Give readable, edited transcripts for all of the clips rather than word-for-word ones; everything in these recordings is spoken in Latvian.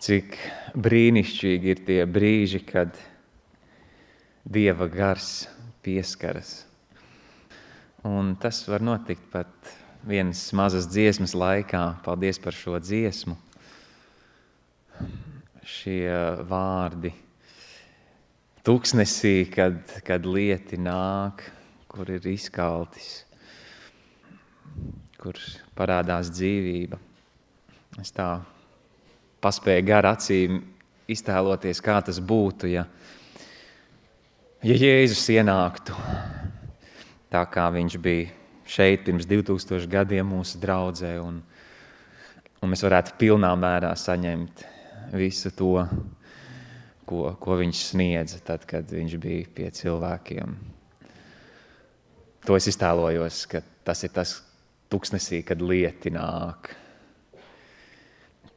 Cik brīnišķīgi ir tie brīži, kad Dieva gars pieskaras. Un tas var notikt pat vienas mazas dziesmas laikā. Paldies par šo dziesmu. Šie vārdi tuksnesī, kad lieti nāk, kur ir izkaltis, kur parādās dzīvība. Es tā paspēju gar acīm iztēloties, kā tas būtu, ja Jēzus ienāktu tā, kā viņš bija šeit pirms 2000 gadiem mūsu draudzē, un mēs varētu pilnā mērā saņemt visu to, ko viņš sniedza tad, kad viņš bija pie cilvēkiem. To es iztēlojos, ka tas ir tas tuksnesī, kad lieti nāk,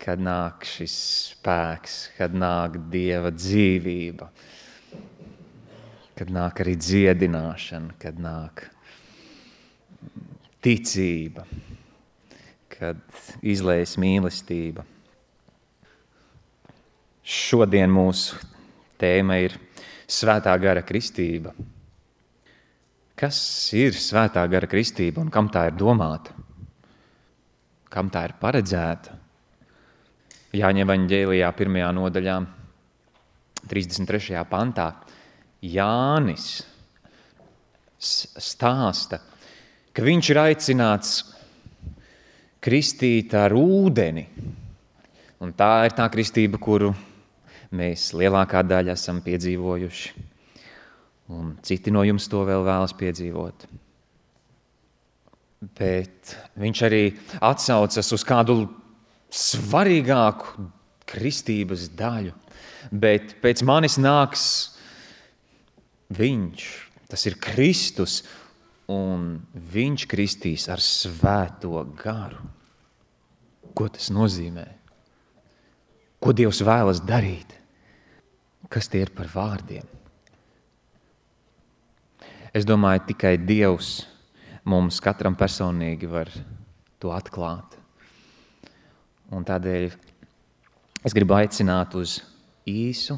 kad nāk šis spēks, kad nāk Dieva dzīvība, kad nāk arī dziedināšana, kad nāk ticība, kad izlējas mīlestība. Šodien mūsu tēma ir Svētā gara kristība. Kas ir Svētā gara kristība un kam tā ir domāta? Kam tā ir paredzēta? Jāņa evaņģēlijā 1. nodaļā, 33. pantā, Jānis stāsta, ka viņš ir aicināts kristīt ar ūdeni. Un tā ir tā kristība, kuru mēs lielākā daļa esam piedzīvojuši. Un citi no jums to vēl vēlas piedzīvot. Bet viņš arī atsaucas uz kādu svarīgāku kristības daļu. Bet pēc manis nāks viņš, tas ir Kristus, un viņš kristīs ar Svēto garu. Ko tas nozīmē? Ko Dievs vēlas darīt? Kas tie ir par vārdiem? Es domāju, tikai Dievs mums katram personīgi var to atklāt. Un tādēļ es gribu aicināt uz īsu,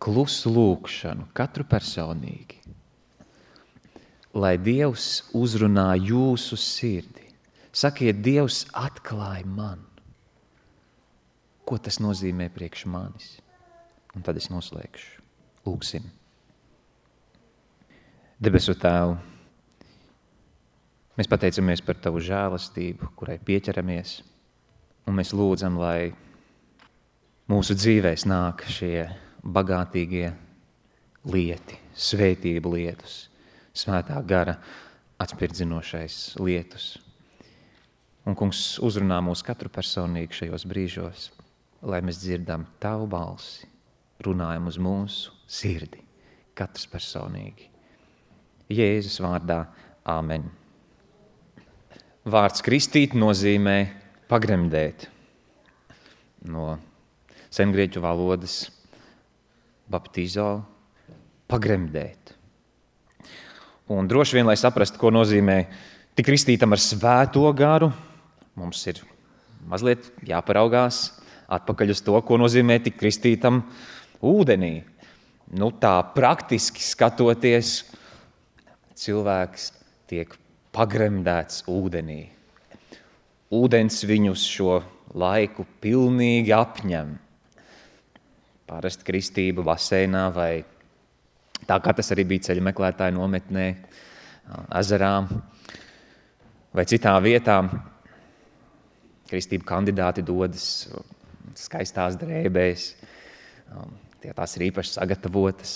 klusu lūkšanu, katru personīgi, lai Dievs uzrunā jūsu sirdi. Sakiet, Dievs atklāja man. Ko tas nozīmē priekš manis? Un tad es noslēgšu. Lūksim. Debesu Tēvu, mēs pateicamies par Tavu žēlastību, kurai pieķeramies, un mēs lūdzam, lai mūsu dzīvēs nāk šie bagātīgie lieti, svētību lietus, Svētā gara atspirdzinošais lietus. Un, Kungs, uzrunā mūs katru personīgi šajos brīžos, lai mēs dzirdam Tavu balsi, runājam uz mūsu sirdi, katrs personīgi. Jēzus vārdā, āmen. Vārds kristīt nozīmē pagremdēt. No sengrieķu valodas baptizo, pagremdēt. Un droši vien, lai saprastu, ko nozīmē tik kristītam ar Svēto garu, mums ir mazliet jāparaugās atpakaļ uz to, ko nozīmē tik kristītam ūdenī. Tā praktiski skatoties, cilvēks tiek pagremdēts ūdenī. Ūdens viņus šo laiku pilnīgi apņem. Parasti kristība baseinā vai tā kā tas arī bija ceļu meklētāju nometnē, ezerā vai citā vietā. Kristību kandidāti dodas skaistās drēbēs, tās ir īpaši sagatavotas,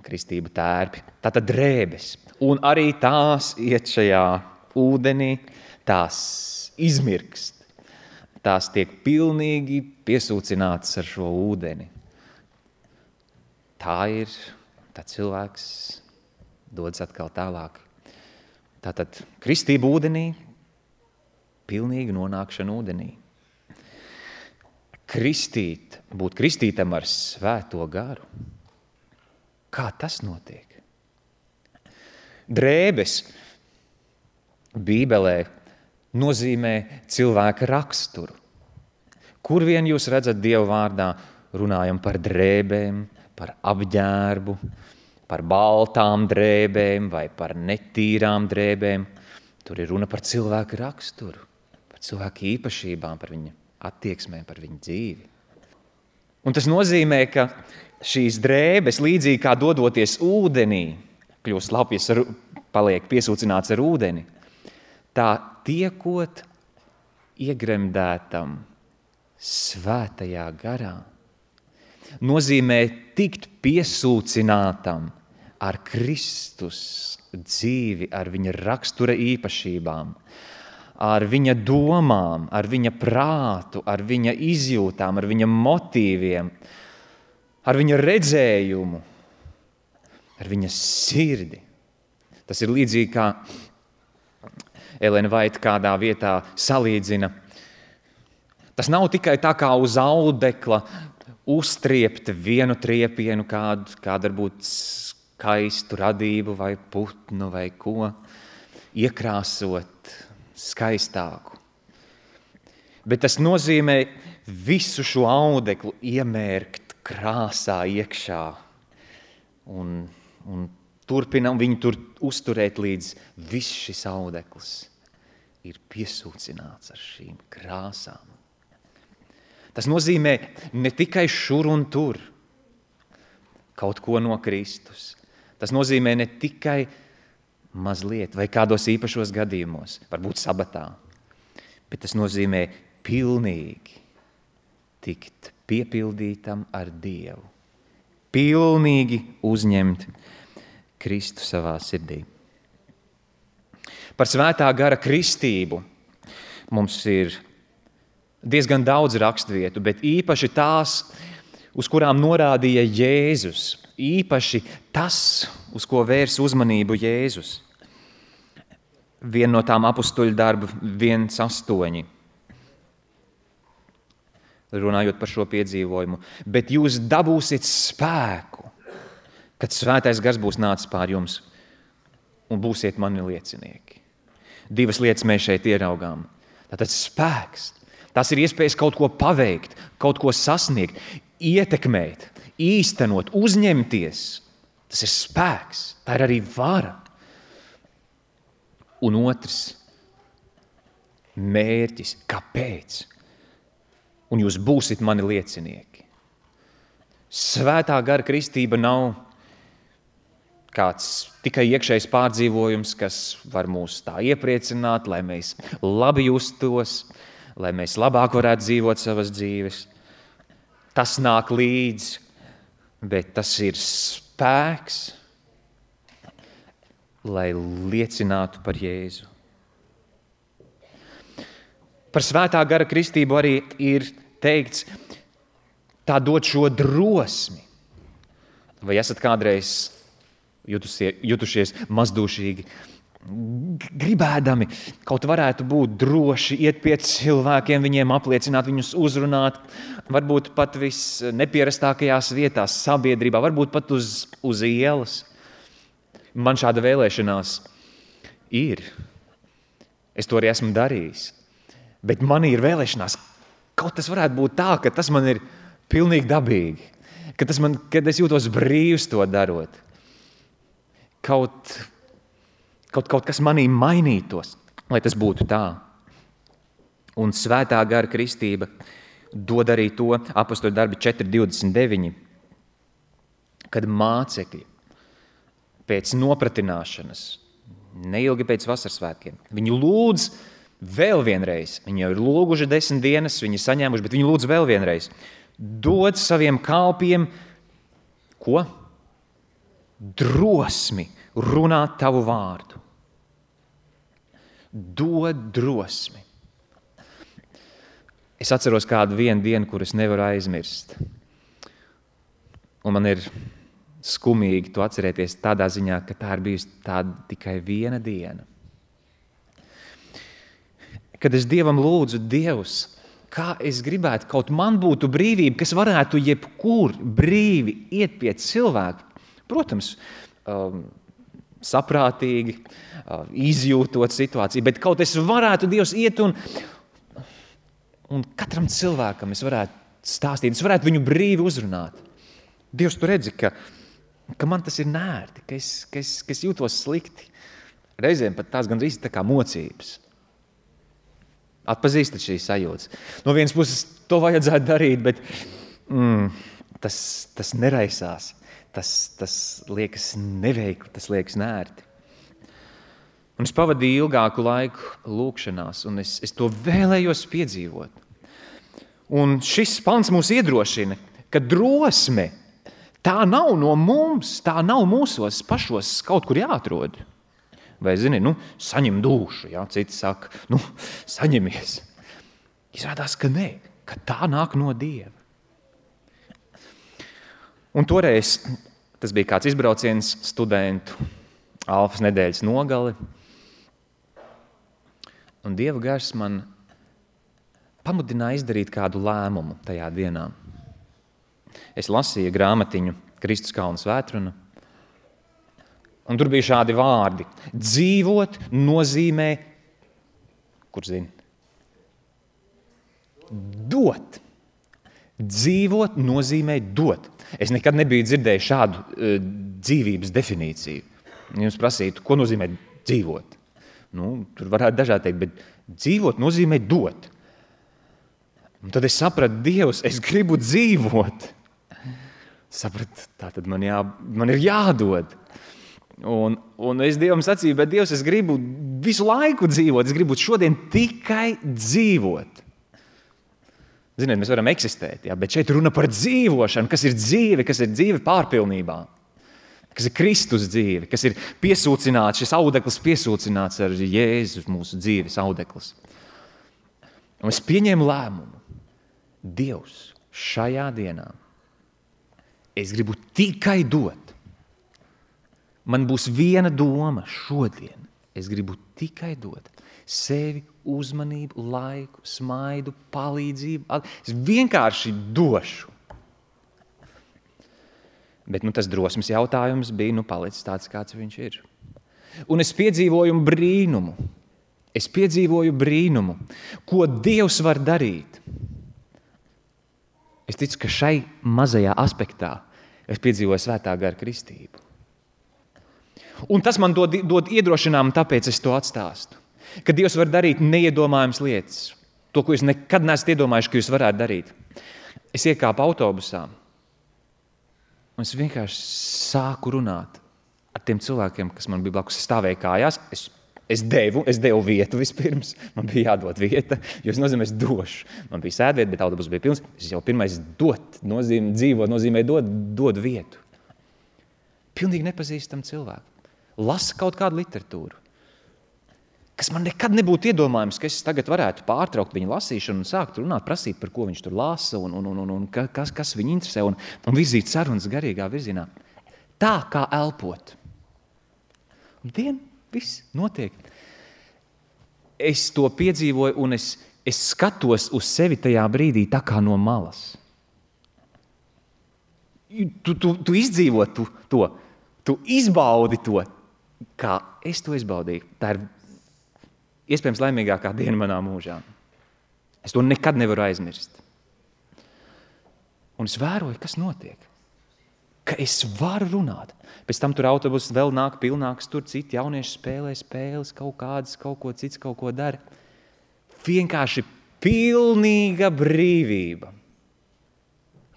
kristību tērpi, tātad drēbes. Un arī tās iet šajā ūdenī, tās izmirkst. Tās tiek pilnīgi piesūcinātas ar šo ūdeni. Tā cilvēks dodas atkal tālāk. Tātad kristība ūdenī, pilnīga nonākšana ūdenī. Kristīt, būt kristītam ar Svēto garu. Kā tas notiek? Drēbes Bībelē nozīmē cilvēka raksturu. Kur vien jūs redzat Dieva vārdā, runājam par drēbēm, par apģērbu, par baltām drēbēm vai par netīrām drēbēm. Tur ir runa par cilvēku raksturu, par cilvēku īpašībām, par viņa attieksmēm, par viņa dzīvi. Un tas nozīmē, ka šīs drēbes, līdzīgi kā dodoties ūdenī, kļūst lapjas, paliek piesūcināts ar ūdeni, tā tiekot iegremdētam svētajā garā, nozīmē tikt piesūcinātam ar Kristus dzīvi, ar viņa rakstura īpašībām, ar viņa domām, ar viņa prātu, ar viņa izjūtām, ar viņa motīviem, ar viņa redzējumu, ar viņa sirdi. Tas ir līdzīgi kā Elena Vaita kādā vietā salīdzina. Tas nav tikai tā kā uz audekla uztriept vienu triepienu, kādu varbūt skaistu radību vai putnu vai ko, iekrāsot skaistāku. Bet tas nozīmē visu šo audeklu iemērkt krāsā iekšā un turpinam viņu tur uzturēt, līdz viss šis audekls ir piesūcināts ar šīm krāsām. Tas nozīmē ne tikai šur un tur kaut ko no Kristus. Tas nozīmē ne tikai mazliet vai kādos īpašos gadījumos, varbūt sabatā, bet tas nozīmē pilnīgi tikt piepildītam ar Dievu. Pilnīgi uzņemt Kristu savā sirdī. Par svētā gara kristību mums ir diezgan daudz raksturvietu, bet īpaši tās, uz kurām norādīja Jēzus, īpaši tas, uz ko vērs uzmanību Jēzus. Viena no tām apustuļu darbu 1:8. Runājot par šo piedzīvojumu, bet jūs dabūsiet spēku, kad svētais gars būs nācis pār jums un būsiet mani liecinieki. Divas lietas mēs šeit ieraugām. Tātad spēks. Tas ir iespējas kaut ko paveikt, kaut ko sasniegt, ietekmēt, īstenot, uzņemties. Tas ir spēks, tā ir arī vara. Un otrs, mērķis, kāpēc? Un jūs būsiet mani liecinieki. Svētā gara kristība nav kāds tikai iekšējs pārdzīvojums, kas var mūs tā iepriecināt, lai mēs labi justos, lai mēs labāk varētu dzīvot savas dzīves. Tas nāk līdzi, bet tas ir spēks, lai liecinātu par Jēzu. Par svētā gara kristību arī ir teikts, tā dod šo drosmi. Vai esat kādreiz jutušies mazdūšīgi, gribēdami kaut varētu būt droši, iet pie cilvēkiem, viņiem apliecināt, viņus uzrunāt, varbūt pat visnepierastākajās vietās, sabiedrībā, varbūt pat uz ielas. Man šāda vēlēšanās ir. Es to arī esmu darījis. Bet man ir vēlēšanās, kaut tas varētu būt tā, ka tas man ir pilnīgi dabīgi, kad es jūtos brīvs to darot. Kaut kas manī mainītos, lai tas būtu tā. Un svētā gara kristība dod arī to, apostoļu darbi 4:29, kad mācekļi pēc nopratināšanas, neilgi pēc vasaras svētkiem, viņi lūdz vēl vienreiz, viņi jau ir lūguši 10 dienas, viņi saņēmuši, bet viņi lūdz vēl vienreiz, dod saviem kalpiem, ko? Drosmi runāt tavu vārdu. Dod drosmi. Es atceros kādu vienu dienu, kuras nevaru aizmirst. Un man ir skumīgi to atcerēties tādā ziņā, ka tā ir bijusi tāda tikai viena diena. Kad es Dievam lūdzu, Dievs, kā es gribētu, kaut man būtu brīvība, kas varētu jebkur brīvi iet pie cilvēku. Protams, saprātīgi, izjūtot situāciju, bet kaut es varētu, Dievs, iet un katram cilvēkam es varētu stāstīt, es varētu viņu brīvi uzrunāt. Dievs, tu redzi, ka man tas ir nērti, ka es jūtos slikti. Reizēm pat tās gandrīz tā kā mocības. Atpazīstat šīs sajūtas. No vienas puses to vajadzētu darīt, bet tas neraisās. Tas liekas neveikli, tas liekas nērti. Un es pavadīju ilgāku laiku lūkšanās, un es to vēlējos piedzīvot. Un šis pants mūs iedrošina, ka drosme tā nav no mums, tā nav mūsos pašos kaut kur jāatrod. Vai, zini, saņem dušu, jā, citi saka, saņemies. Izrādās, ka nē, ka tā nāk no Dieva. Un toreiz tas bija kāds izbrauciens studentu Alfas nedēļas nogali. Un Dieva gars man pamudināja izdarīt kādu lēmumu tajā dienā. Es lasīju grāmatiņu Kristus kalna svētruna, un tur bija šādi vārdi. Dzīvot nozīmē, kur zini? Dot. Dzīvot nozīmē dot. Es nekad nebiju dzirdējis šādu dzīvības definīciju. Jums prasītu, ko nozīmē dzīvot? Tur varētu dažādi teikt, bet dzīvot nozīmē dot. Un tad es sapratu, Dievs, es gribu dzīvot. Sapratu, tātad man ir jādod. Un es Dievam sacīju, bet Dievs, es gribu visu laiku dzīvot, es gribu šodien tikai dzīvot. Ziniet, mēs varam eksistēt, jā, bet šeit runa par dzīvošanu, kas ir dzīve pārpilnībā, kas ir Kristus dzīve, kas ir piesūcināts, šis audeklis piesūcināts ar Jēzus mūsu dzīves audeklis. Un es pieņēmu lēmumu. Dievs, šajā dienā es gribu tikai dot. Man būs viena doma šodien. Es gribu tikai dot sevi, uzmanību, laiku, smaidu, palīdzību. Es vienkārši došu. Bet tas drosmes jautājums bija palicis tāds, kāds viņš ir. Un es piedzīvoju brīnumu. Ko Dievs var darīt. Es ticu, ka šai mazajā aspektā es piedzīvoju svētā gara kristību. Un tas man dod iedrošinājumu, tāpēc es to atstāstu. Ka Dievs var darīt neiedomājams lietas. To, ko jūs nekad neesat iedomājuši, ka jūs varētu darīt. Es iekāpu autobusā. Un es vienkārši sāku runāt ar tiem cilvēkiem, kas man bija blakus. Es stāvēju kājās. Es devu vietu vispirms. Man bija jādod vieta, jo es nozīmē, es došu. Man bija sēdvieta, bet autobus bija pilns. Es jau pirmais dzīvot nozīmē dod vietu. Pilnīgi nepazīstam cilvēku. Lasa kaut kādu literatūru, kas man nekad nebūtu iedomājams, ka es tagad varētu pārtraukt viņa lasīšanu un sākt runāt, prasīt, par ko viņš tur lasa un kas viņu interesē un virzīt sarunas garīgā virzienā. Tā kā elpot. Un viss notiek. Es to piedzīvoju un es skatos uz sevi tajā brīdī tā kā no malas. Tu izdzīvo to, tu izbaudi to, kā es to izbaudīju. Tā ir iespējams laimīgākā diena manā mūžā. Es to nekad nevaru aizmirst. Un es vēroju, kas notiek. Ka es varu runāt. Pēc tam tur autobus vēl nāk pilnāks, tur citi jaunieši spēlē spēles, kaut ko cits, kaut ko dara. Vienkārši pilnīga brīvība.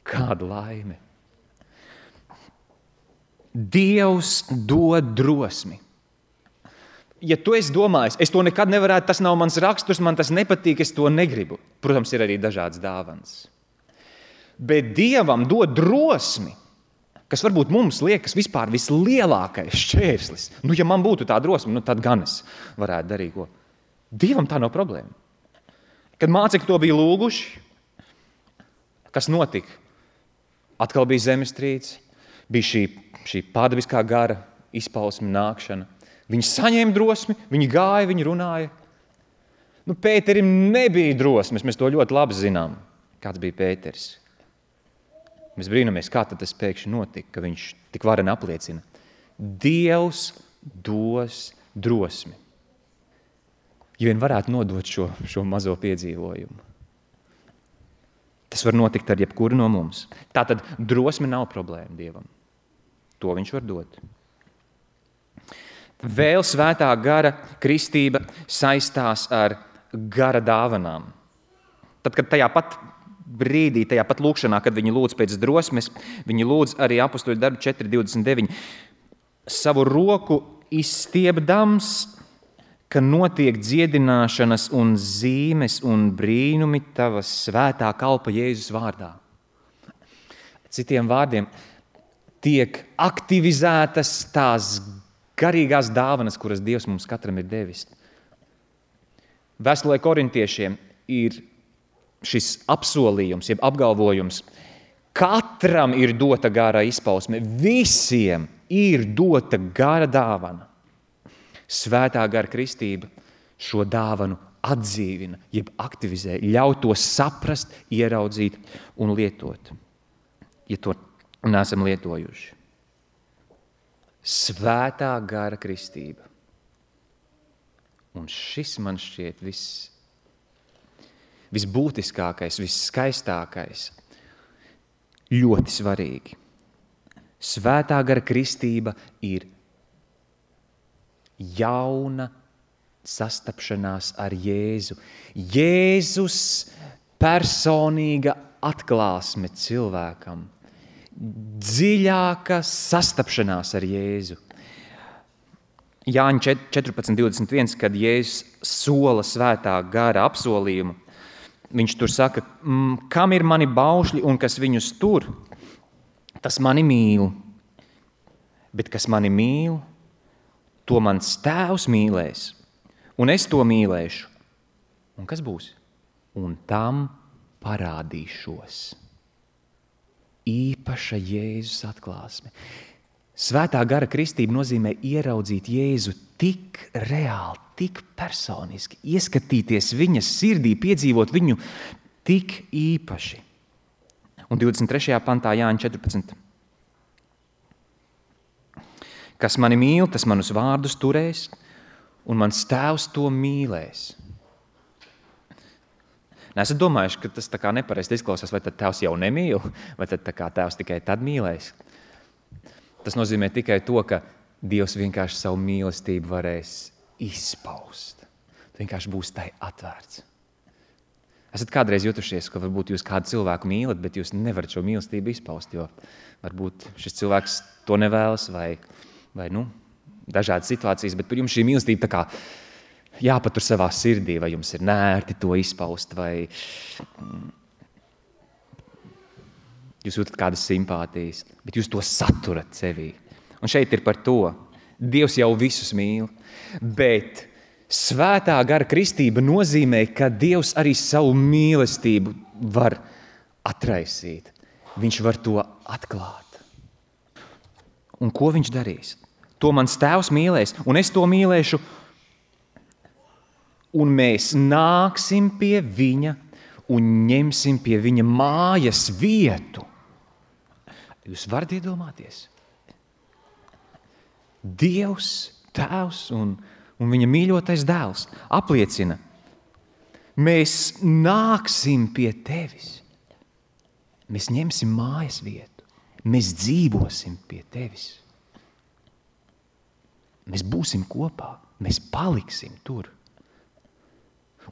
Kāda laime. Dievs dod drosmi. Ja tu esi domājis, es to nekad nevarētu, tas nav mans raksturs, man tas nepatīk, es to negribu. Protams, ir arī dažādas dāvanas. Bet Dievam dod drosmi, kas varbūt mums liekas vispār vislielākais šķērslis. Ja man būtu tā drosme, tad gan es varētu darīt ko. Dievam tā nav problēma. Kad mācekļi to bija lūguši, kas notika? Atkal bija zemestrīce, bija šī pārdabiskā gara izpausme nākšana. Viņi saņēma drosmi, viņi gāja, viņi runāja. Pēterim nebija drosmes, mēs to ļoti labi zinām, kāds bija Pēteris. Mēs brīnamies, kā tad tas pēkšņi notika, ka viņš tik vareni apliecina. Dievs dos drosmi. Ja vien varētu nodot šo mazo piedzīvojumu. Tas var notikt ar jebkuru no mums. Tātad drosme nav problēma Dievam. To viņš var dot. Vēl svētā gara kristība saistās ar gara dāvanām. Tad, kad tajā pat brīdī, tajā pat lūkšanā, kad viņi lūdz pēc drosmes, viņi lūdz arī apostoļu darbu 4.29, savu roku izstiepdams, ka notiek dziedināšanas un zīmes un brīnumi tava svētā kalpa Jēzus vārdā. Citiem vārdiem, tiek aktivizētas tās garīgās dāvanas, kuras Dievs mums katram ir devis. Vēstulē korintiešiem ir šis apsolījums, jeb apgalvojums. Katram ir dota gara izpausme, visiem ir dota gara dāvana. Svētā gara kristība šo dāvanu atdzīvina, jeb aktivizē, ļauj to saprast, ieraudzīt un lietot, ja to neesam lietojuši. Svētā gara kristība. Un šis man šķiet visbūtiskākais, visskaistākais, ļoti svarīgi. Svētā gara kristība ir jauna sastapšanās ar Jēzu. Jēzus personīga atklāsme cilvēkam. Dziļāka sastapšanās ar Jēzu. Jāņa 14.21, kad Jēzus sola svētā gara apsolījumu, viņš tur saka, kam ir mani baušļi un kas viņus tur, tas mani mīl. Bet kas mani mīl, to mans tēvs mīlēs, un es to mīlēšu. Un kas būs? Un tam parādīšos. Īpaša Jēzus atklāsme. Svētā gara kristība nozīmē ieraudzīt Jēzu tik reāli, tik personiski, ieskatīties viņa sirdī, piedzīvot viņu tik īpaši. Un 23. pantā Jāņa 14. Kas mani mīl, tas manus vārdus turēs, un mans tēvs to mīlēs. Nesat domājuši, ka tas tā kā nepareizi izklausās, vai tad tēvs jau nemīl, vai tad tā kā tēvs tikai tad mīlēs. Tas nozīmē tikai to, ka Dievs vienkārši savu mīlestību varēs izpaust. Vienkārši būs tai atvērts. Esat kādreiz jutušies, ka varbūt jūs kādu cilvēku mīlat, bet jūs nevarat šo mīlestību izpaust, jo varbūt šis cilvēks to nevēlas vai dažādas situācijas, bet par jums šī mīlestība tā kā jāpatur savā sirdī, vai jums ir nērti to izpaust, vai jūs jūtat kādas simpātijas, bet jūs to saturat sevī. Un šeit ir par to. Dievs jau visus mīl, bet svētā gara kristība nozīmē, ka Dievs arī savu mīlestību var atraisīt. Viņš var to atklāt. Un ko viņš darīs? To mans tēvs mīlēs, un es to mīlēšu, un mēs nāksim pie viņa un ņemsim pie viņa mājas vietu. Jūs varat iedomāties? Dievs, Tēvs un viņa mīļotais dēls apliecina, mēs nāksim pie tevis. Mēs ņemsim mājas vietu. Mēs dzīvosim pie tevis. Mēs būsim kopā. Mēs paliksim tur.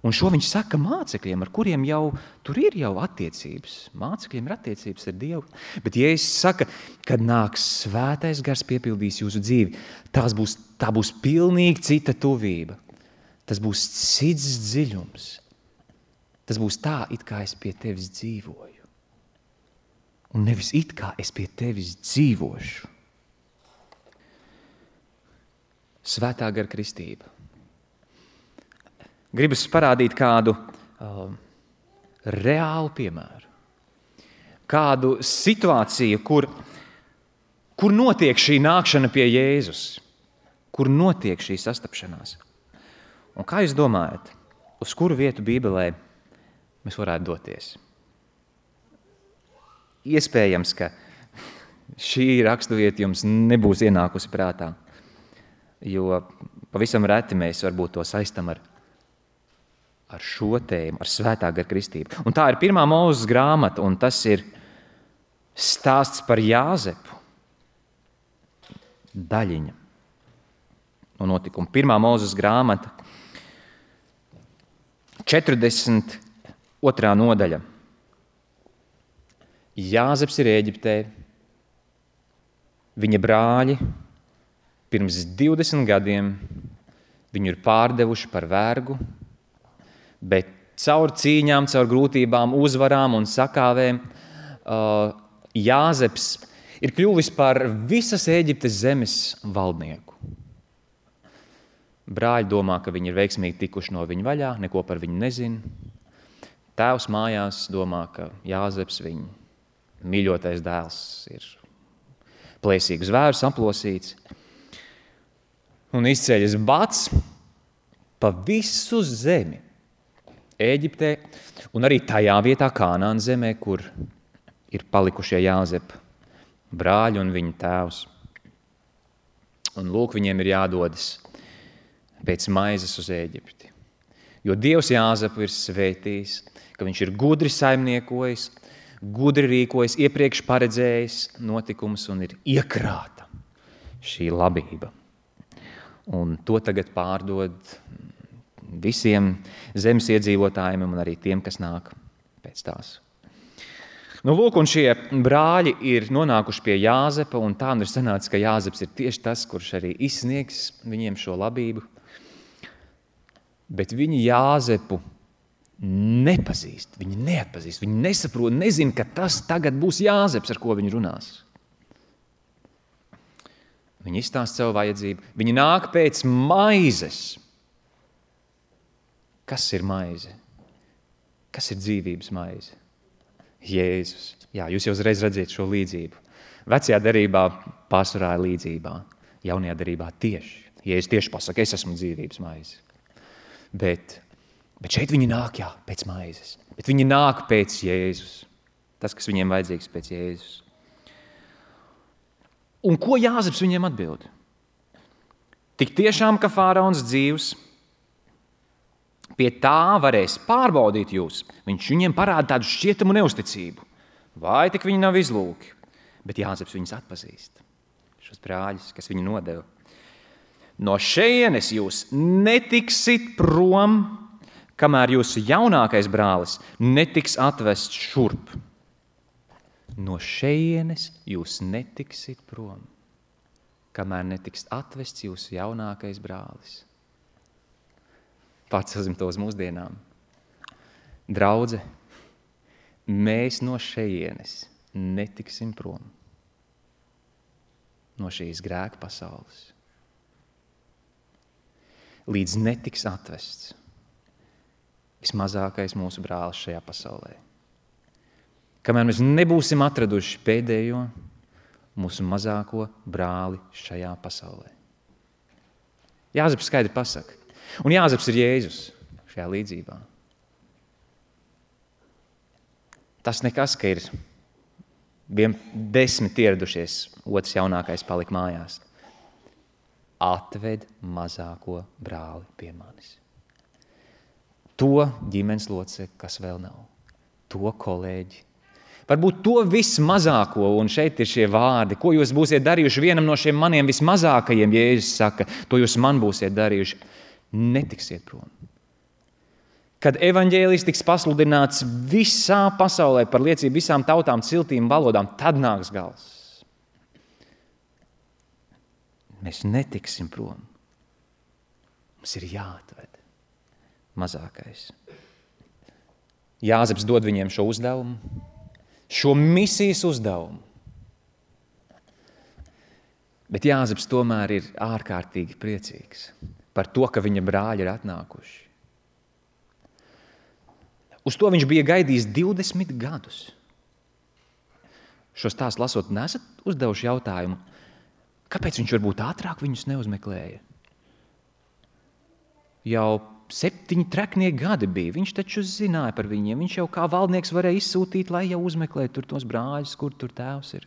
Un šo viņš saka mācekļiem, ar kuriem jau tur ir jau attiecības. Mācekļiem ir attiecības ar Dievu. Bet Jēzus saka, kad nāks svētais gars piepildīs jūsu dzīvi, tā būs pilnīgi cita tuvība. Tas būs cits dziļums. Tas būs tā, it kā es pie tevis dzīvoju. Un nevis it kā es pie tevis dzīvošu. Svētā gara kristība. Gribas parādīt kādu reālu piemēru. Kādu situāciju, kur notiek šī nākšana pie Jēzus. Kur notiek šī sastapšanās. Un kā jūs domājat, uz kuru vietu Bībelē mēs varētu doties? Iespējams, ka šī raksturvieta jums nebūs ienākusi prātā, jo pavisam reti mēs varbūt to saistam ar ar šo tēmu, ar svētā gara kristību. Un tā ir 1. Mūzes grāmata, un tas ir stāsts par Jāzepu. Daļiņa no notikuma. 1. Mūzes grāmata, 42. nodaļa. Jāzeps ir Ēģiptē. Viņa brāļi pirms 20 gadiem viņu ir pārdevuši par vergu, bet caur cīņām, caur grūtībām, uzvarām un sakāvēm Jāzeps ir kļuvis par visas Ēģiptes zemes valdnieku. Brāļi domā, ka viņi ir veiksmīgi tikuši no viņa vaļā, neko par viņu nezina. Tēvs mājās domā, ka Jāzeps, viņa mīļotais dēls, ir plēsīgu zvēru saplosīts. Un izceļas bats pa visu zemi Ēģiptē un arī tajā vietā Kānāna zemē, kur ir palikušie Jāzepa brāļi un viņa tēvs. Un lūk, viņiem ir jādodas pēc maizes uz Ēģipti. Jo Dievs Jāzepu ir svētījis, ka viņš ir gudri saimniekojis, gudri rīkojis, iepriekš paredzējis notikumus un ir iekrāta šī labība. Un to tagad pārdod visiem zemes iedzīvotājiem un arī tiem, kas nāk pēc tās. Nu, lūk, un šie brāļi ir nonākuši pie Jāzepa, un tā ir sanācis, ka Jāzeps ir tieši tas, kurš arī izsniegs viņiem šo labību. Bet viņi Jāzepu nepazīst, viņi neatpazīst, viņi nesaprot, nezina, ka tas tagad būs Jāzeps, ar ko viņi runās. Viņi izstāsta savu vajadzību, viņi nāk pēc maizes. Kas ir maize? Kas ir dzīvības maize? Jēzus. Jā, jūs jau uzreiz redzat šo līdzību. Vecajā derībā pārsvarā līdzībā, jaunajā derībā tieši. Jēzus tieši pasaka, es esmu dzīvības maize. Bet šeit viņi nāk, jā, pēc maizes. Bet viņi nāk pēc Jēzus. Tas, kas viņiem vajadzīgs pēc Jēzus. Un ko Jāzeps viņiem atbild? Tik tiešām, ka faraons dzīvs, pie tā varēs pārbaudīt jūs. Viņš viņiem parāda tādu šķietamu neusticību. Vai tik viņi nav izlūki? Bet Jāzeps viņus atpazīst. Šos brāļus, kas viņu nodeva. No šejienes jūs netiksit prom, kamēr jūsu jaunākais brālis netiks atvests šurp. No šejienes jūs netiksit prom, kamēr netiks atvests jūsu jaunākais brālis. Pacelsim to uz mūsdienām. Draudze, mēs no šejienes netiksim prom. No šīs grēka pasaules. Līdz netiks atvests vismazākais mūsu brālis šajā pasaulē. Kamēr mēs nebūsim atraduši pēdējo mūsu mazāko brāli šajā pasaulē. Jāzeps skaidri pasaka. Un Jāzeps ir Jēzus šajā līdzībā. Tas nekas, ka ir 10 ieradušies, otrs jaunākais palika mājās. Atved mazāko brāli pie manis. To ģimenes locekli, kas vēl nav. To kolēģi. Varbūt to vismazāko, un šeit ir šie vārdi, ko jūs būsiet darījuši vienam no šiem maniem vismazākajiem, Jēzus saka, to jūs man būsiet darījuši. Netiksiet prom. Kad evaņģēlijs tiks pasludināts visā pasaulē par liecību visām tautām, ciltīm, valodām, tad nāks gals. Mēs netiksim prom. Mums ir jāatved mazākais. Jāzeps dod viņiem šo uzdevumu, šo misijas uzdevumu. Bet Jāzeps tomēr ir ārkārtīgi priecīgs par to, ka viņa brāļi ir atnākuši. Uz to viņš bija gaidījis 20 gadus. Šo stāstu lasot, nesat uzdevuši jautājumu, kāpēc viņš varbūt ātrāk viņus neuzmeklēja? Jau 7 treknie gadi bija, viņš taču zināja par viņiem, viņš jau kā valdnieks varēja izsūtīt, lai jau uzmeklē tur tos brāļus, kur tur tēvs ir.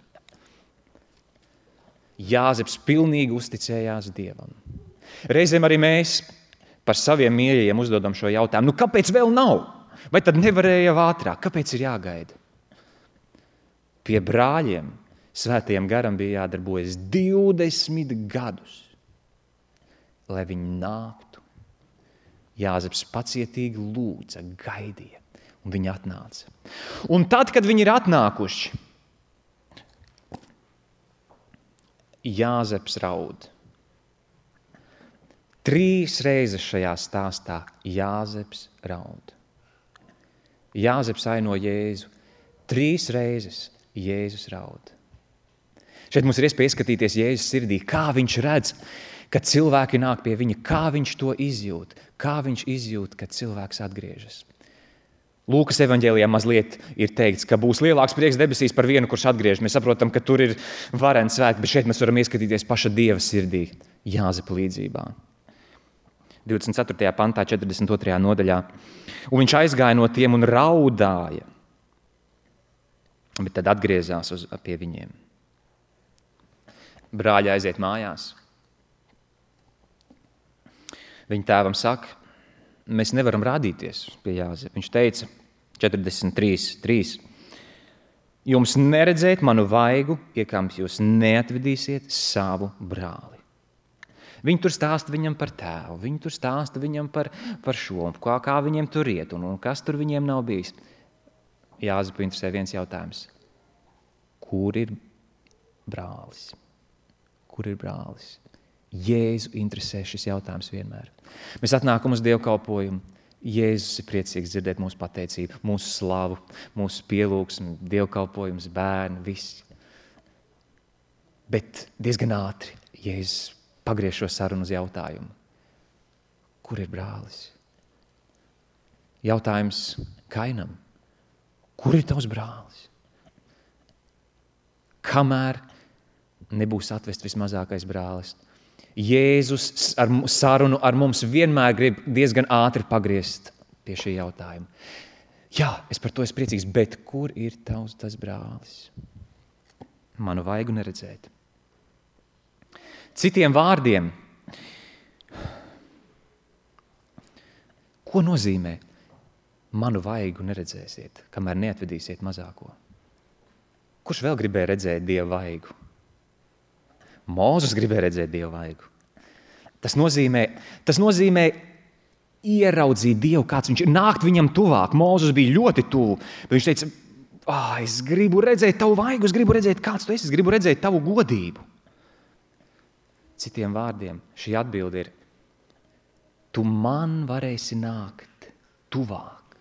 Jāzeps pilnīgi uzticējās Dievam. Reizēm arī mēs par saviem mīļajiem uzdodam šo jautājumu. Kāpēc vēl nav? Vai tad nevarēja jau ātrāk? Kāpēc ir jāgaida? Pie brāļiem Svētajam garam bija jādarbojas 20 gadus, lai viņi nāktu. Jāzeps pacietīgi lūdza, gaidīja, un viņi atnāca. Un tad, kad viņi ir atnākuši, Jāzeps raud. 3 reizes šajā stāstā Jāzeps raud. Jāzeps aino Jēzu. 3 reizes Jēzus raud. Šeit mums ir iespēja ieskatīties Jēzus sirdī, kā viņš redz, kad cilvēki nāk pie viņa, kā viņš to izjūt, kā viņš izjūt, kad cilvēks atgriežas. Lūkas evaņģēlijā mazliet ir teikts, ka būs lielāks prieks debesīs par vienu, kurš atgriežas. Mēs saprotam, ka tur ir vareni svētki, bet šeit mēs varam ieskatīties paša Dieva sirdī, Jāzepa līdzībā. 24. pantā, 42. nodaļā. Un viņš aizgāja no tiem un raudāja, bet tad atgriezās pie viņiem. Brāļi aiziet mājās. Viņa tēvam saka, mēs nevaram rādīties pie Jāzepa. Viņš teica 43.3. Jums neredzēt manu vaigu, iekams jūs neatvedīsiet savu brāli. Viņi tur stāsta viņam par tēvu, viņi tur stāsta viņam par šo, kā viņiem tur iet un kas tur viņiem nav bijis. Jāzepu interesē viens jautājums. Kur ir brālis? Kur ir brālis? Jēzu interesē šis jautājums vienmēr. Mēs atnākam uz dievkalpojumu. Jēzus ir priecīgs dzirdēt mūsu pateicību, mūsu slavu, mūsu pielūgsmu, dievkalpojums, bērni, viss. Bet diezgan ātri Jēzus pagriež šo sarunu uz jautājumu. Kur ir brālis? Jautājums Kainam. Kur ir tavs brālis? Kamēr nebūs atvest vismazākais brālis. Jēzus ar sarunu ar mums vienmēr grib diezgan ātri pagriezt pie šī jautājuma. Jā, es par to esmu priecīgs, bet kur ir tas brālis? Manu vaigu neredzēt. Citiem vārdiem, ko nozīmē manu vaigu neredzēsiet, kamēr neatvedīsiet mazāko? Kurš vēl gribēja redzēt Dieva vaigu? Mūzes gribēja redzēt Dieva vaigu. Tas nozīmē ieraudzīt Dievu, kāds viņš ir, nākt viņam tuvāk. Mūzes bija ļoti tuvu, bet viņš teica, es gribu redzēt tavu vaigu, es gribu redzēt, kāds tu esi, es gribu redzēt tavu godību. Citiem vārdiem šī atbilde ir, tu man varēsi nākt tuvāk.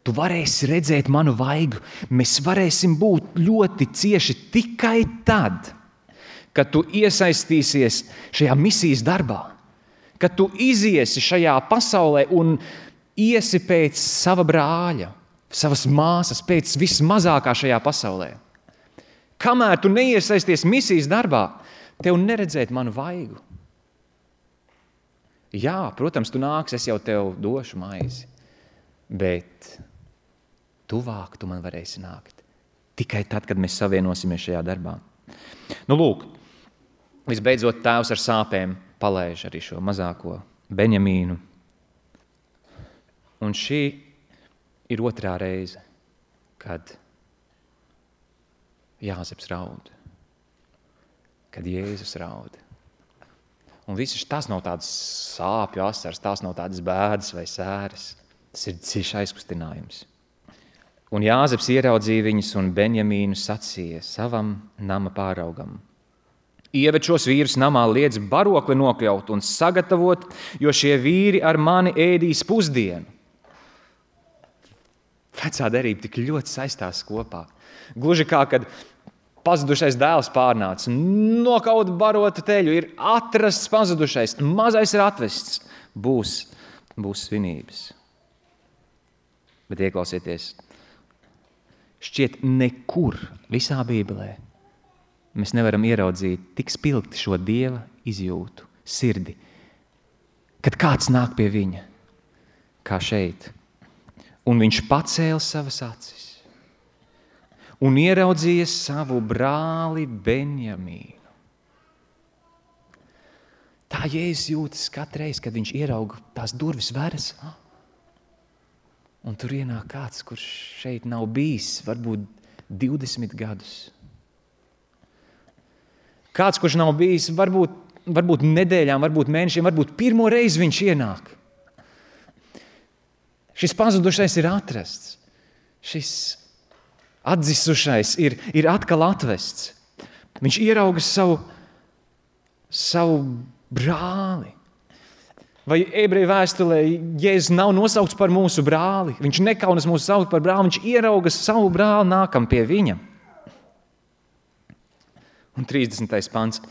Tu varēsi redzēt manu vaigu. Mēs varēsim būt ļoti cieši tikai tad, kad tu iesaistīsies šajā misijas darbā, kad tu iziesi šajā pasaulē un iesi pēc sava brāļa, savas māsas, pēc vismazākā šajā pasaulē. Kamēr tu neiesaisties misijas darbā, tev neredzēt manu vaigu. Jā, protams, tu nāks, es jau tev došu maizi, bet tuvāk tu man varēsi nākt. Tikai tad, kad mēs savienosimies šajā darbā. Lūk, visbeidzot tēvs ar sāpēm palaiž arī šo mazāko Benjamīnu. Un šī ir otrā reize, kad Jāzeps raud, kad Jēzus raud. Un tās nav tādas sāpju asaras, tās nav tādas bēdas vai sēras. Tas ir dziļš aizkustinājums. Un Jāzeps ieraudzīja viņus un Benjamīnu sacīja savam nama pāraugam. Ieved šos vīrus namā, liedz barokli nokļaut un sagatavot, jo šie vīri ar mani ēdīs pusdienu. Vecā derība tik ļoti saistās kopā. Gluži kā, kad pazudušais dēls pārnāca, nokaut barotu teļu, ir atrasts pazudušais, mazais ir atvests, būs svinības. Bet ieklausieties, šķiet nekur visā Bībelē mēs nevaram ieraudzīt tik spilgti šo Dieva izjūtu, sirdi, kad kāds nāk pie viņa, kā šeit, un viņš pacēla savas acis un ieraudzīja savu brāli Benjamīnu. Tā kā Jēzus jūtas katru reizi, kad viņš ierauga tās durvis veras. Un tur ienāk kāds, kurš šeit nav bijis, varbūt 20 gadus. Kāds, kurš nav bijis, varbūt nedēļām, varbūt mēnešiem, varbūt pirmo reizi viņš ienāk. Šis pazudušais ir atrasts. Šis atdzisušais ir atkal atvests. Viņš ierauga savu brāli. Vai ebreju vēstulē Jēzus nav nosaukts par mūsu brāli? Viņš nekaunas mūs saukt par brāli, viņš ierauga savu brāli nākam pie viņa. Un 30. pants.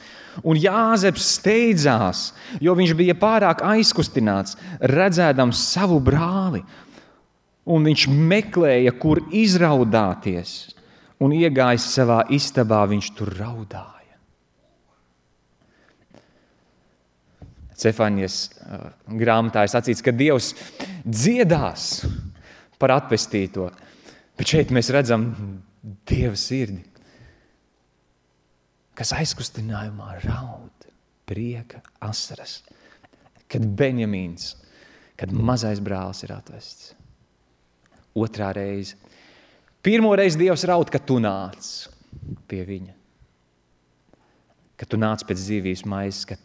Un Jāzeps steidzās, jo viņš bija pārāk aizkustināts, redzēdams savu brāli. Un viņš meklēja, kur izraudāties. Un iegājis savā istabā, viņš tur raudāja. Cefaņas grāmatā ir sacīts, ka Dievs dziedās par atpestīto. Bet šeit mēs redzam Dieva sirdi, kas aizkustinājumā raud, prieka, asaras, kad Benjamīns, kad mazais brālis ir atvests. Otrā reize. Pirmo reizi Dievs raud, kad tu nāc pie viņa. Kad tu nāc pēc dzīvības maizes, kad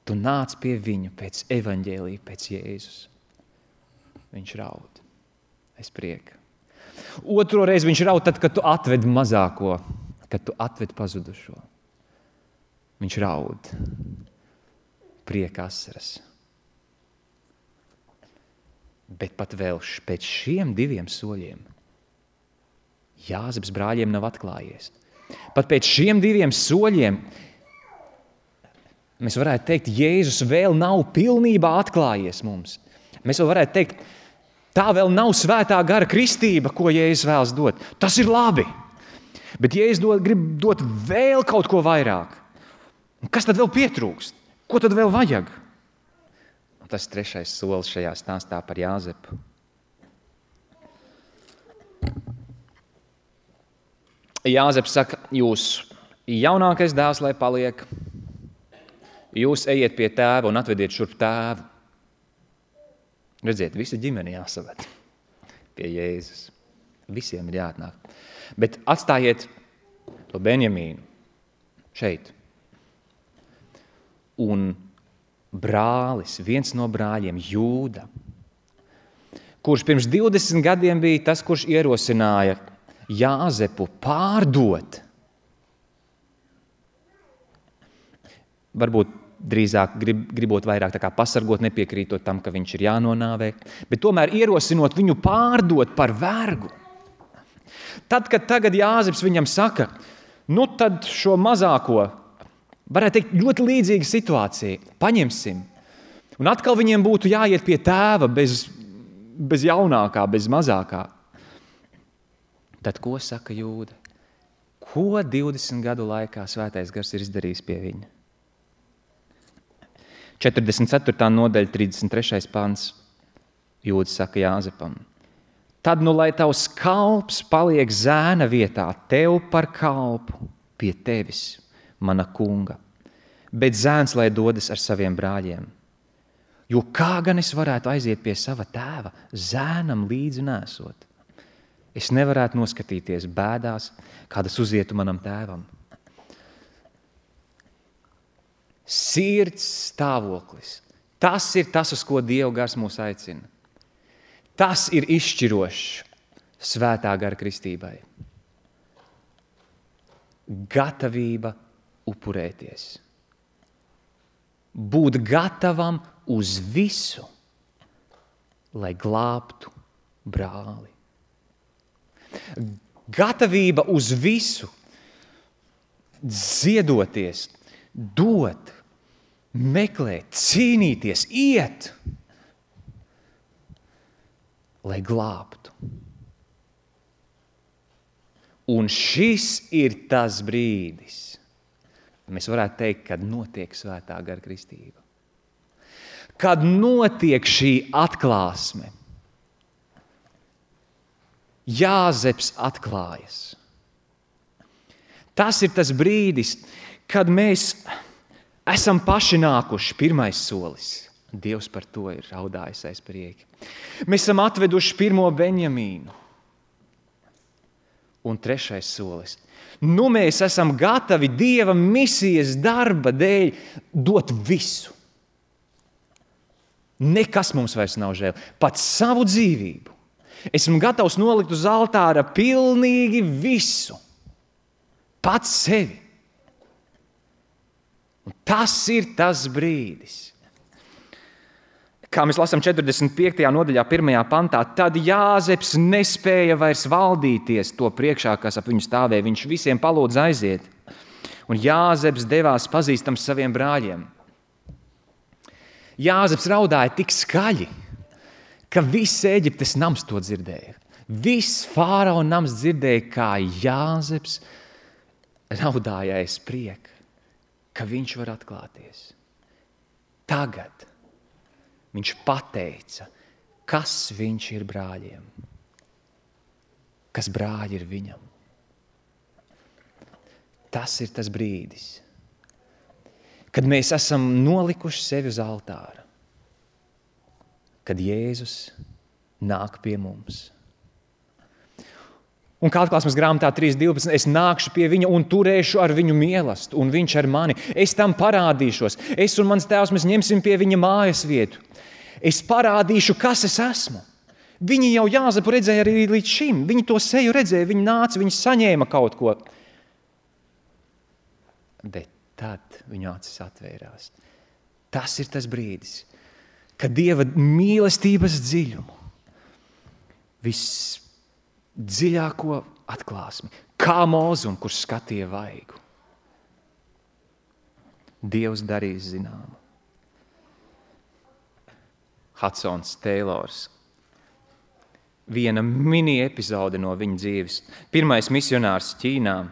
tu nāc pie viņu pēc evaņģēlija, pēc Jēzus. Viņš raud. Es prieka. Otro reizi viņš raud tad, kad tu atved mazāko, kad tu atved pazudušo. Viņš raud. Prieka asaras. Bet pat vēl pēc šiem 2 soļiem Jāzeps brāļiem nav atklājies. Pat pēc šiem 2 soļiem mēs varētu teikt, Jēzus vēl nav pilnībā atklājies mums. Mēs vēl varētu teikt, tā vēl nav svētā gara kristība, ko Jēzus vēlas dot. Tas ir labi. Bet Jēzus grib dot vēl kaut ko vairāk. Un kas tad vēl pietrūkst? Ko tad vēl vajag? Un tas 3. solis šajā stāstā par Jāzepu. Jāzeps saka, jūs jaunākais dēls, lai paliek, jūs ejiet pie tēva un atvediet šurp tēvu. Redziet, visa ģimene jāsaved pie Jēzus. Visiem ir jāatnāk. Bet atstājiet to Benjamīnu šeit. Un brālis, viens no brāļiem, Jūda, kurš pirms 20 gadiem bija tas, kurš ierosināja Jāzepu pārdot. Varbūt drīzāk gribot vairāk tā kā pasargot, nepiekrītot tam, ka viņš ir jānonāvē, bet tomēr ierosinot viņu pārdot par vergu. Tad, kad tagad Jāzeps viņam saka, nu tad šo mazāko, varētu teikt, ļoti līdzīga situācija, paņemsim. Un atkal viņiem būtu jāiet pie tēva bez jaunākā, bez mazākā. Tad ko saka Jūda? Ko 20 gadu laikā svētais gars ir izdarījis pie viņa? 44. nodaļa, 33. pants. Jūda saka Jāzepam. Tad nu, lai tavs kalps paliek zēna vietā, tev par kalpu pie tevis, mana kunga. Bet zēns, lai dodas ar saviem brāļiem. Jo kā gan es varētu aiziet pie sava tēva, zēnam līdzi nesot? Es nevarētu noskatīties bēdās, kādas uzietu manam tēvam. Sirds stāvoklis. Tas ir tas, uz ko Dieva gars mūs aicina. Tas ir izšķirošs svētā gara kristībai. Gatavība upurēties. Būt gatavam uz visu, lai glābtu brāli. Gatavība uz visu, ziedoties, dot, meklēt, cīnīties, iet, lai glābtu. Un šis ir tas brīdis, mēs varētu teikt, kad notiek svētā gara kristība. Kad notiek šī atklāsme. Jāzeps atklājas. Tas ir tas brīdis, kad mēs Esam paši nākuši, pirmais solis. Dievs par to ir raudājis aiz prieki. Mēs esam atveduši pirmo Benjamīnu. Un trešais solis. Nu mēs esam gatavi Dieva misijas darba dēļ dot visu. Nekas mums vairs nav žēl. Pat savu dzīvību. Esmu gatavs nolikt uz altāra pilnīgi visu. Pats sevi. Un tas ir tas brīdis. Kā mēs lasām 45. nodaļā 1. pantā, tad Jāzeps nespēja vairs valdīties to priekšā, kas ap viņu stāvēja. Viņš visiem palūdz aiziet. Un Jāzeps devās pazīstams saviem brāļiem. Jāzeps raudāja tik skaļi, ka viss Ēģiptes nams to dzirdēja. Viss fāraona nams dzirdēja, kā Jāzeps raudāja aiz prieka, ka viņš var atklāties. Tagad viņš pateica, kas viņš ir brāļiem, kas brāļi ir viņam. Tas ir tas brīdis, kad mēs esam nolikuši sevi uz altāra, kad Jēzus nāk pie mums. Un kā atklāsmes grāmatā 3.12, es nākšu pie viņa un turēšu ar viņu mīlestību, un viņš ar mani. Es tam parādīšos. Es un mans tēvs, mēs ņemsim pie viņa mājas vietu. Es parādīšu, kas es esmu. Viņi jau Jāzepu redzēja arī līdz šim. Viņi to seju redzēja, viņi nāca, viņi saņēma kaut ko. Bet tad viņu acis atvērās. Tas ir tas brīdis, kad Dieva mīlestības dziļumu, visdziļāko atklāsmi, kā mūzum, kurš skatīja vaigu, Dievs darīs zināmu. Hudsons Taylors. Viena mini epizode no viņa dzīves. Pirmais misionārs Ķīnā,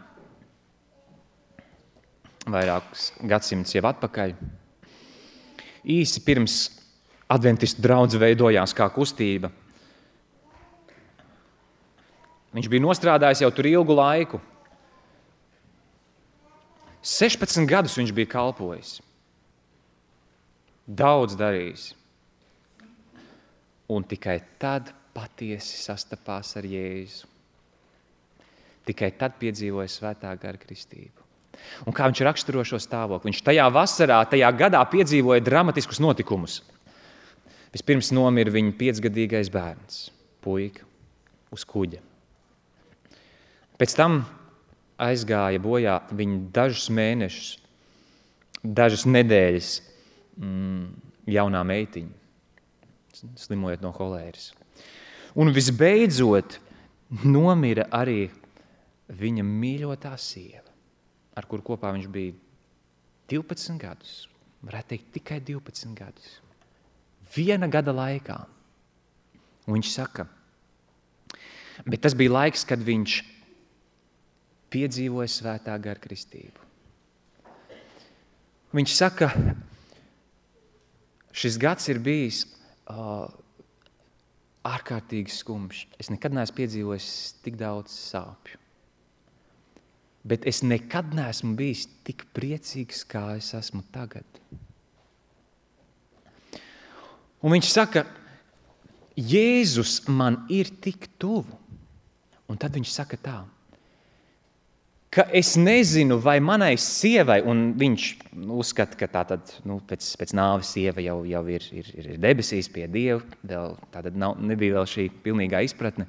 vairākus gadsimtus jau atpakaļ. Īsi pirms adventistu draudze veidojās kā kustība. Viņš bija nostrādājis jau tur ilgu laiku. 16 gadus viņš bija kalpojis. Daudz darījis. Un tikai tad patiesi sastapās ar Jēzu. Tikai tad piedzīvoja svētā gara kristību. Un kā viņš raksturo šo stāvokli? Viņš tajā vasarā, tajā gadā piedzīvoja dramatiskus notikumus. Vispirms nomira viņa 5-gadīgais bērns, puika, uz kuģa. Pēc tam aizgāja bojā viņa dažus mēnešus, dažas nedēļas jaunā meitiņa, slimojot no holēras. Un visbeidzot nomira arī viņa mīļotā sieva, ar kuru kopā viņš bija 12 gadus. Varētu teikt, tikai 12 gadus. 1 gada laikā. Un viņš saka, bet tas bija laiks, kad viņš piedzīvoja svētā gara kristību. Viņš saka, šis gads ir bijis ārkārtīgi skumjš. Es nekad neesmu piedzīvojis tik daudz sāpju. Bet es nekad neesmu bijis tik priecīgs, kā es esmu tagad. Un viņš saka, Jēzus man ir tik tuvu. Un tad viņš saka tā, ka es nezinu, vai manai sievai, un viņš uzskata, ka tātad, pēc nāves sieva jau ir debesīs pie Dieva, tātad nebija vēl šī pilnīgā izpratne.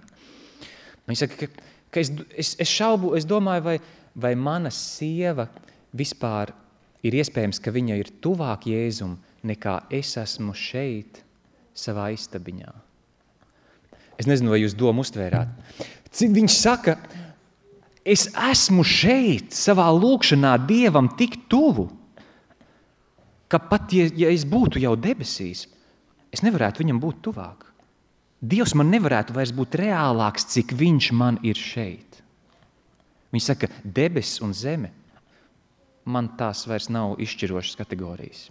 Viņš saka, ka es domāju, vai mana sieva vispār ir iespējams, ka viņa ir tuvāk Jēzum, nekā es esmu šeit savā istabiņā. Es nezinu, vai jūs domu uztvērāt. Viņš saka, es esmu šeit savā lūkšanā Dievam tik tuvu, ka pat, ja es būtu jau debesīs, es nevarētu viņam būt tuvāk. Dievs man nevarētu vairs būt reālāks, cik viņš man ir šeit. Viņš saka, debesis un zeme, man tās vairs nav izšķirošas kategorijas.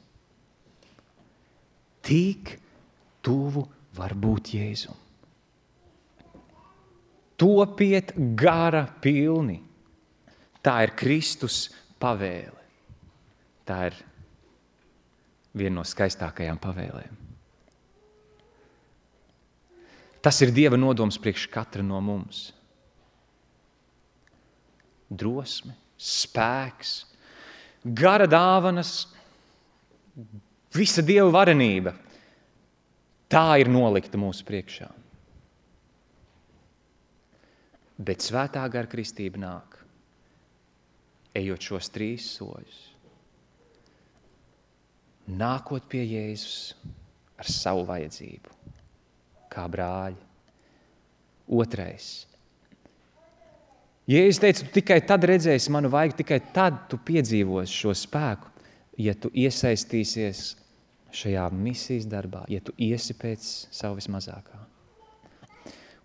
Tik tuvu var būt Jēzum. Topiet gara pilni. Tā ir Kristus pavēle. Tā ir viena no skaistākajām pavēlēm. Tas ir Dieva nodoms priekš katra no mums. Drosme, spēks, gara dāvanas, visa Dieva varenība. Tā ir nolikta mūsu priekšā. Bet svētā gara kristība nāk, ejot šos 3 soļus. Nākot pie Jēzus ar savu vajadzību, kā brāļi. 2. Jēzus teica, tu tikai tad redzēsi manu vaigu, tikai tad tu piedzīvosi šo spēku, ja tu iesaistīsies šajā misijas darbā, ja tu iesi pēc savu vismazākā.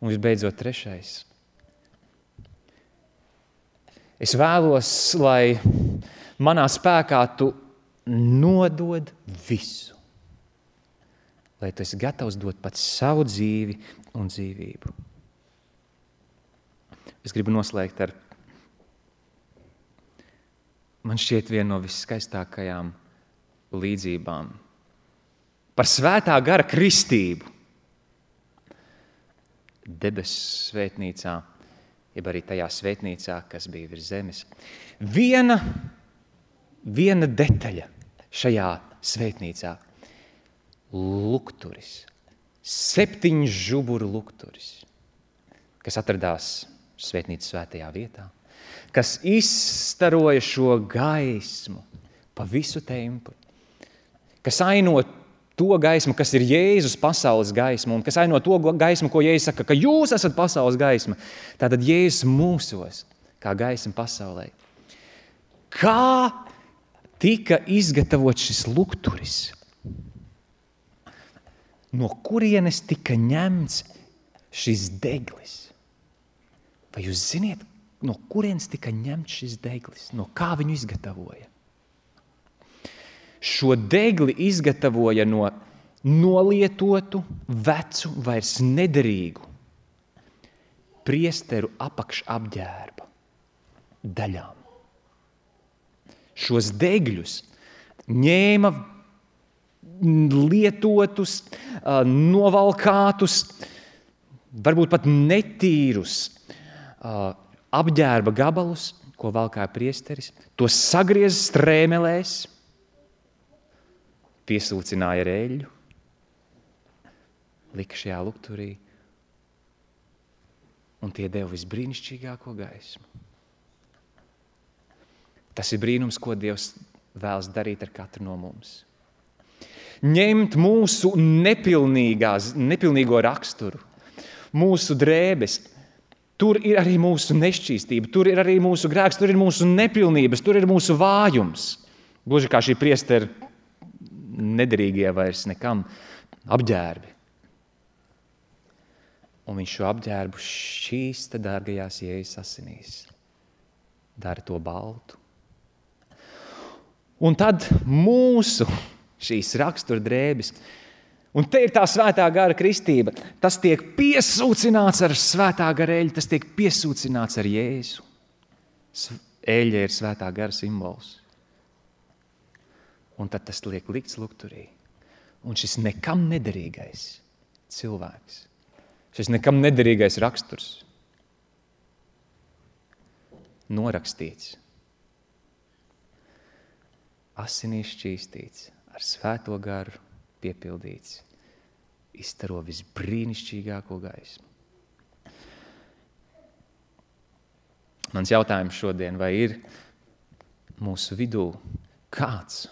Un visbeidzot 3. Es vēlos, lai manā spēkā tu nodod visu. Lai tu esi gatavs dot pat savu dzīvi un dzīvību. Es gribu noslēgt ar, man šķiet, vienu no viskaistākajām līdzībām par svētā gara kristību. Debesu svētnīcā, jeb arī tajā svētnīcā, kas bija virs zemes. Viena detaļa šajā svētnīcā. Lukturis. 7 žuburu lukturis, kas atradās svētnīcas svētajā vietā, kas izstaroja šo gaismu pa visu templi, kas aino to gaismu, kas ir Jēzus pasaules gaisma, un kas aino to gaismu, ko Jēzus saka, ka jūs esat pasaules gaisma. Tātad Jēzus mūsos, kā gaisma pasaulē. Kā tika izgatavots šis lukturis? No kurienes tika ņemts šis deglis? Vai jūs ziniet, no kurienes tika ņemts šis deglis? No kā viņu izgatavoja? Šo degli izgatavoja no nolietotu, vecu, vairs nederīgu priesteru apakšapģērba daļām. Šos degļus ņēma lietotus, novalkātus, varbūt pat netīrus apģērba gabalus, ko valkāja priesteris, tos sagriez strēmelēs, piesūcināja ar eļļu, lika šajā lukturī, un tie deva visbrīnišķīgāko gaismu. Tas ir brīnums, ko Dievs vēlas darīt ar katru no mums. Ņemt mūsu nepilnīgo raksturu, mūsu drēbes. Tur ir arī mūsu nešķīstība, tur ir arī mūsu grēks, tur ir mūsu nepilnības, tur ir mūsu vājums. Gluži kā šī priestera nederīgie vairs nekam apģērbi. Un viņš šo apģērbu šķīsta dārgajās Jēzus asinīs. Dara to baltu. Un tad mūsu šīs rakstura drēbes, un te ir tā svētā gara kristība, tas tiek piesūcināts ar svētā gara eļļu, tas tiek piesūcināts ar Jēzu. Eļļa ir svētā gara simbols. Un tad tas liek likts lukturī. Un šis nekam nederīgais cilvēks, šis nekam nederīgais raksturs norakstīts, asinīs šķīstīts, ar svēto garu piepildīts, izstaro visbrīnišķīgāko gaismu. Mans jautājums šodien, vai ir mūsu vidū kāds,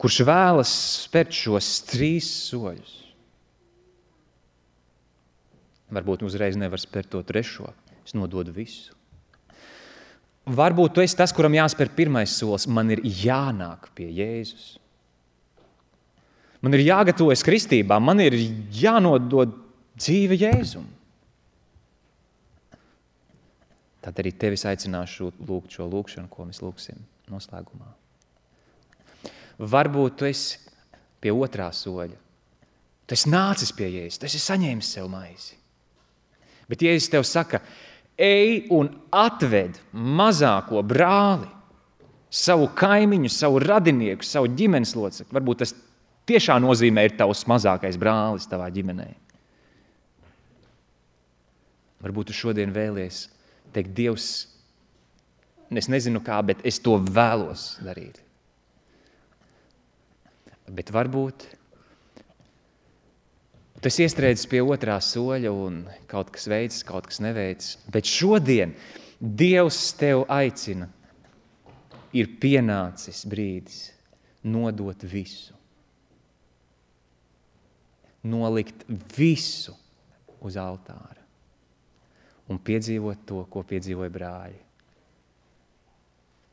kurš vēlas spērt šos 3 soļus? Varbūt uzreiz nevar spērt to 3. Es nododu visu. Varbūt tu esi tas, kuram jāspēr 1. solis. Man ir jānāk pie Jēzus. Man ir jāgatavojas kristībā. Man ir jānodod dzīve Jēzum. Tad arī tevis aicināšu lūgt šo lūgšanu, ko mēs lūgsim noslēgumā. Varbūt tu esi pie 2. soļa. Tu esi nācis pie Jēzus, tu esi saņēmis sev maizi. Bet Jēzus tev saka, ej un atved mazāko brāli savu kaimiņu, savu radinieku, savu ģimenes locekli. Varbūt tas tiešā nozīmē ir tavs mazākais brālis tavā ģimenē. Varbūt tu šodien vēlies teikt, Dievs, es nezinu kā, bet es to vēlos darīt. Bet varbūt tu esi iestrēdzis pie otrā soļa un kaut kas veicis, kaut kas neveicis. Bet šodien Dievs tev aicina, ir pienācis brīdis nodot visu. Nolikt visu uz altāra un piedzīvot to, ko piedzīvoja brāļi.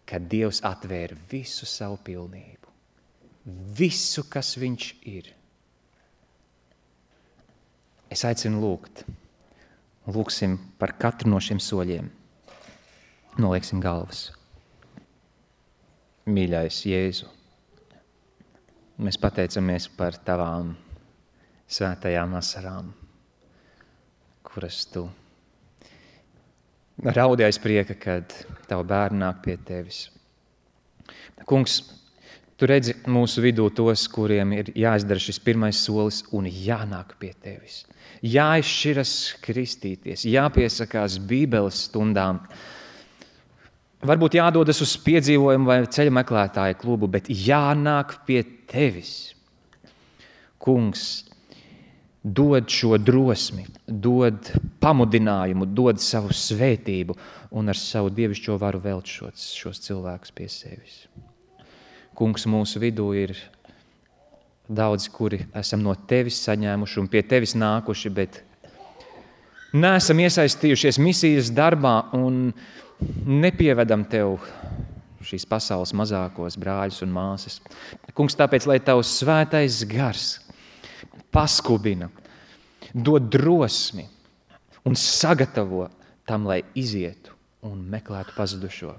Kad Dievs atvēra visu savu pilnību, visu, kas viņš ir. Es aicinu lūgt. Lūksim par katru no šiem soļiem. Nolieksim galvas. Mīļais Jēzu, mēs pateicamies par tavām svētajām asarām, kuras tu raudi aiz prieka, kad tavu bērni nāk pie tevis. Kungs, tu redzi mūsu vidū tos, kuriem ir jāizdara šis pirmais solis un jānāk pie tevis. Jāizšķiras kristīties, jāpiesakās Bībeles stundām. Varbūt jādodas uz piedzīvojumu vai ceļa meklētāju klubu, bet jānāk pie tevis. Kungs, dod šo drosmi, dod pamudinājumu, dod savu svētību un ar savu dievišķo varu velt šos cilvēkus pie sevis. Kungs, mūsu vidū ir daudzi, kuri esam no tevis saņēmuši un pie tevis nākuši, bet neesam iesaistījušies misijas darbā un nepievedam tev šīs pasaules mazākos brāļus un māsas. Kungs, tāpēc, lai tavs svētais gars paskubina, dod drosmi un sagatavo tam, lai izietu un meklētu pazudušo.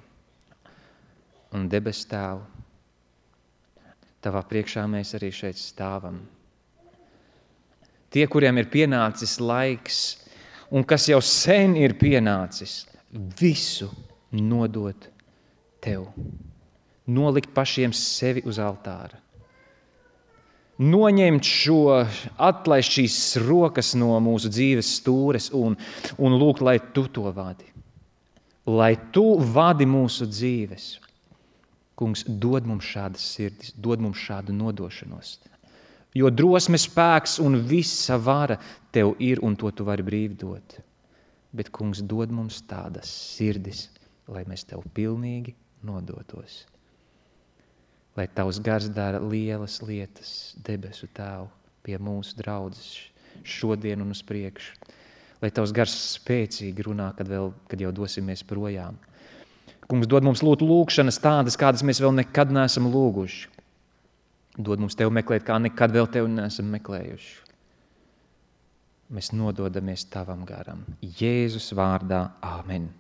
Un debes Tēvu, tavā priekšā mēs arī šeit stāvam. Tie, kuriem ir pienācis laiks un kas jau sen ir pienācis, visu nodot tev. Nolikt pašiem sevi uz altāra. Noņemt atlaist šīs rokas no mūsu dzīves stūres un lūgt, lai tu to vadi. Lai tu vadi mūsu dzīves. Kungs, dod mums šādas sirdis, dod mums šādu nodošanos. Jo drosmes spēks un visa vara tev ir un to tu vari brīvi dot. Bet, kungs, dod mums tādas sirdis, lai mēs tev pilnīgi nodotos. Lai tavs gars dara lielas lietas, debesu Tēvu, pie mūsu draudzes šodien un uz priekšu. Lai tavs gars spēcīgi runā, kad jau dosimies projām. Kungs, dod mums lūgšanas tādas, kādas mēs vēl nekad neesam lūguši. Dod mums tev meklēt, kā nekad vēl tev neesam meklējuši. Mēs nododamies tavam garam. Jēzus vārdā. Āmen.